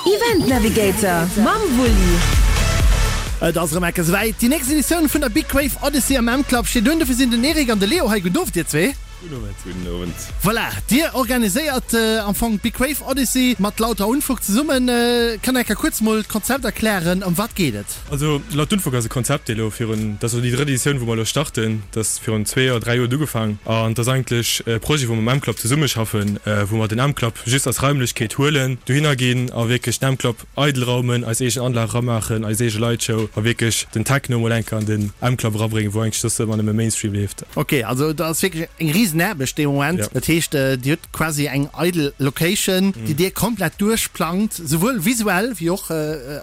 Event Navigator mam Wulli. Et ass erëm enke souwäit, déi nächst Editioun vun der Big Wave Odyssey am M-Club steet un. Dofir sinn den Eric an de Leo hei. Gudden Owend dir zwee. Gudden Owend. Gudden Owend. Voilà, dir organiséiert am Fong d'Big Wave Odyssey mat Lauter Unfug zesummen. Kënnt der enke kuerz mol d'Konzept erklären, ëm wat geet et? Also Laut Unfug ass e Konzept, dee lo virun, dat ass elo déi drëtt Editioun, wou mer elo starten, dat ass virun zwee Joer, dräi Joer huet ugefaang an et ass eigentlech e Projet, wou mer mam M-Club zesummeschaffen, wou mer den M-Club just als Raimlechkeet huelen, dohinner ginn a wierklech den M-Club eidel raumen, eis eegen Anlag eramaachen, eis eege Lightshow a wierklech den Techno mol eng Kéier an den M-Club erabréngen, wou eigentlech soss ëmmer nëmme Mainstream leeft. Ok, also et ass wierklech eng Risenaarbecht dee Moment. Dat heescht, Dir hutt quasi eng eidel Location, déi Dir komplett duerchplangt, souwuel visuell wéi och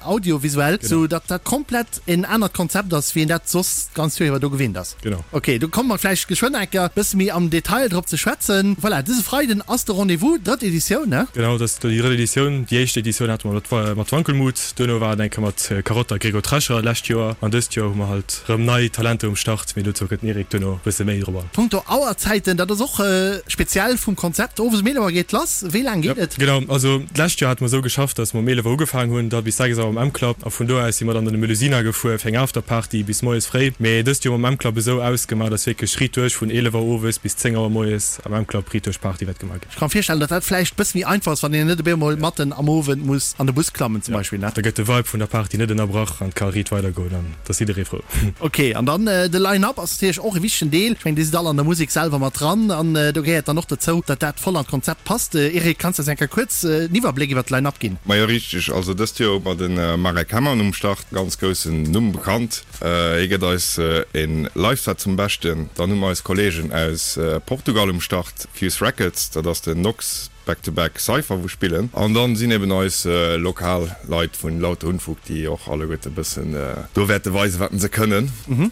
audiovisuell, sou datt dat komplett en anert Konzept ass, wéi een dat soss d'ganz Joer iwwer do gewinnt ass. Genau. Ok, do komme mer vläicht geschwënn eng Kéier bësse méi am Detail drop ze schwätzen. Voilà, dëse Freiden ass de Rendez-vous, drëtt Editioun, ne? Genau, dat ass déi drëtt Editioun. Déi éischt Editioun hate mer mat Wankelmut, duerno war et eng Kéier mat Karotta a Gregor Trescher d'lescht Joer an dëst Joer hu mer halt Rëm nei Talenter um Start, mee dozou kënnt den Eric duerno e bësse méi drop an. Punkto Auerzäiten, dat ass och speziell vum Konzept. Owes um 11 Auer geet lass. Wéi laang geet et? Genau, also d'lescht Joer hate mer esou geschafft, dass mer um 11 Auer ugefaangen hunn, da bis 6 Auer am M-Club a vun do aus si mer dann an de Melusina gefuer fir eng Afterparty bis moies fréi. Mee dëst Joer hu mer am M-Club esou ausgemaach, dass wierklech riit duerch vun 11 Auer owes bis 10 Auer moies am M-Club riit duerch Party wäert gemaach ginn. Ech ka mer virstellen, datt dat vläicht bësse méi einfach ass, wann een net op eemol matten am Owend muss an de Bus klammen zum Beispill, ne? Da gëtt de Vibe vun der Party net ënnerbrach an et ka riit weidergoen an et ass jidderee frou. Ok, an dann de Line-Up ass natierlech och e wichtegen Deel. Ech mengen, Dir sidd all an der Musek selwer mat dran an do gehéiert dann och dozou, datt dat voll an d'Konzept passt. Eric, kanns de eis eng Kéier kuerz en Iwwerbléck iwwer d'Line-Up ginn? Majo richteg, also dëst Joer hu mer de Marek Hemmann um Start, ganz groussen Numm, bekannt. Hie gëtt eis e Live-Set zum Beschten. Dann hu mer eis Kolleegen aus Portugal um Start, Fuse Records, dat ass den Nox Back to Back Cypher wou spillen. An dann sinn eben eis lokal Leit vun Lauter Unfug, déi och alleguerte bëssen do wäerte weisen, wat se kënnen.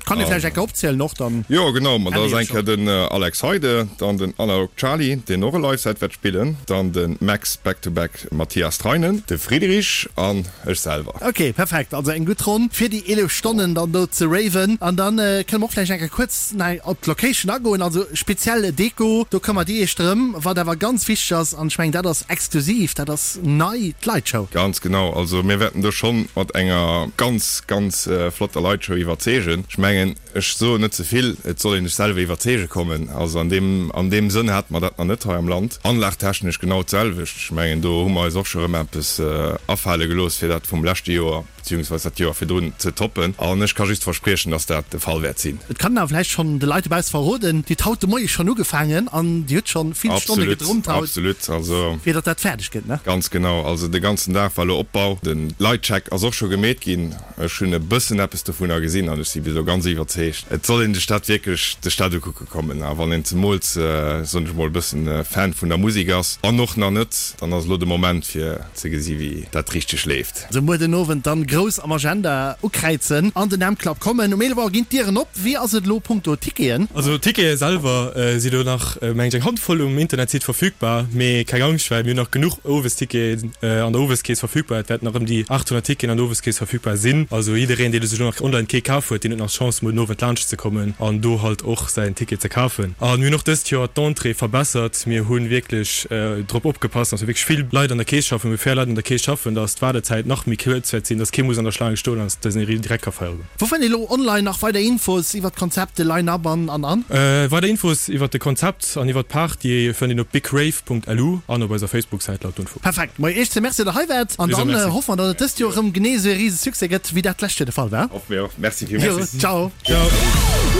Kann ee vläicht eng Kéier opzielen och dann? Jo genau, ma dat ass eng Kéier den Alex Heide, dann den Analog Charly, deen och e Live-Set wäert spillen, dann de Max Back to Back Mathias Treinen, de Friedrich an Ech selwer. Ok, perfekt, also eng gutt Ronn fir déi 11 Stonnen dann do ze raven. An dann kënne mer och vläicht eng Kéier kuerz nach op d'Location agoen, also speziell Deko, do këmmert Dir Iech drëm. Wat awer ganz wichteg ass, an ech mengen dat ass exklusiv, dat ass nei, d'Lightshow. Ganz genau, also mir wäerten do schonn mat enger ganz, ganz flotter Lightshow iwwerzeegen. Ech mengen, Ech soen net ze vill, et soll een sech selwer iwwerzeege kommen. Also an deem, an deem Sënn hate mer dat nach net hei am Land. Anlagtechnesch genau d'selwecht. Ech mengen, do hu mer eis och scho rëm eppes afale gelooss, fir dat vum leschte Joer, beziehungsweis dat Joer virdrun ze toppen. An ech ka just verspriechen, dass dat de Fall wäert sinn. Et kann een awer vläicht schonn de Leit dobausse verroden, Dir hutt haut de Moie schonn ugefaangen an Dir hutt schonn vill Stonne gedrummt haut, Absolut, also. fir datt dat fäerdeg gëtt, ne? Ganz genau. Also de ganzen Dag war elo Opbau. De Lightcheck ass och scho gemeet ginn. Ech hunn e bëssen eppes dovunner gesinn an ech si bis elo ganz iwwerzeegt. Et soll een sech dat wierklech de Stad ukucke kommen. A wann een zemools, soen ech mol, e bëssen Fan vun der Musek ass an och nach net, dann ass elo de Moment fir ze gesi wéi dat richteg leeft. Also muer den Owend dann grouss am Agenda ukräizen an den M-Club kommen. Um 11 Auer ginn d'Dieren op. Wéi ass et elo punkto Ticketen? Also d'Tickete selwer si lo nach, mengen ech, eng Handvoll um Internetsite verfügbar. Mee keng Angscht, well mir hunn nach genuch Owesticketen an der Oweskeess verfügbar. Et wäerten nach ëm déi 800 Ticketen an der Oweskeess verfügbar sinn. Also jiddereen, dee sech elo nach online kee kaf huet, deen huet nach d'Chance, muer den Owend laanscht ze kommen an do halt och säin Ticket ze kafen. A mir hunn och dëst Joer d'Entrée verbessert. Mir hu wierklech drop opgepasst, dass mir wierklech vill Leit an der Keess schaffen, mir fair Leit an der Keess schaffen, dass d'Waardezäit nach méi kuerz wäert sinn, dass kee muss an der Schlaang stoen an dass dësen direkt ka feiere goen. Wou fënnt ee lo online nach weider Infos iwwert d'Konzept, de Line-Up an an an? Weider Infos iwwert de Konzept an iwwert d'Party fënnt een op bigrave.lu an op eiser Facebook-Säit laut Unfug. Perfekt, moi Iech ze Merci, datt der hei waart an dann hoffe mer, datt et dëst Joer erëm genee esou ee rise Succès gëtt, wéi dat d'lescht Joer de Fall war. Hoffe mir och. Merci villmools. Jo, ciao.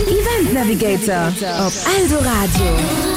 Event Navigator op Eldoradio.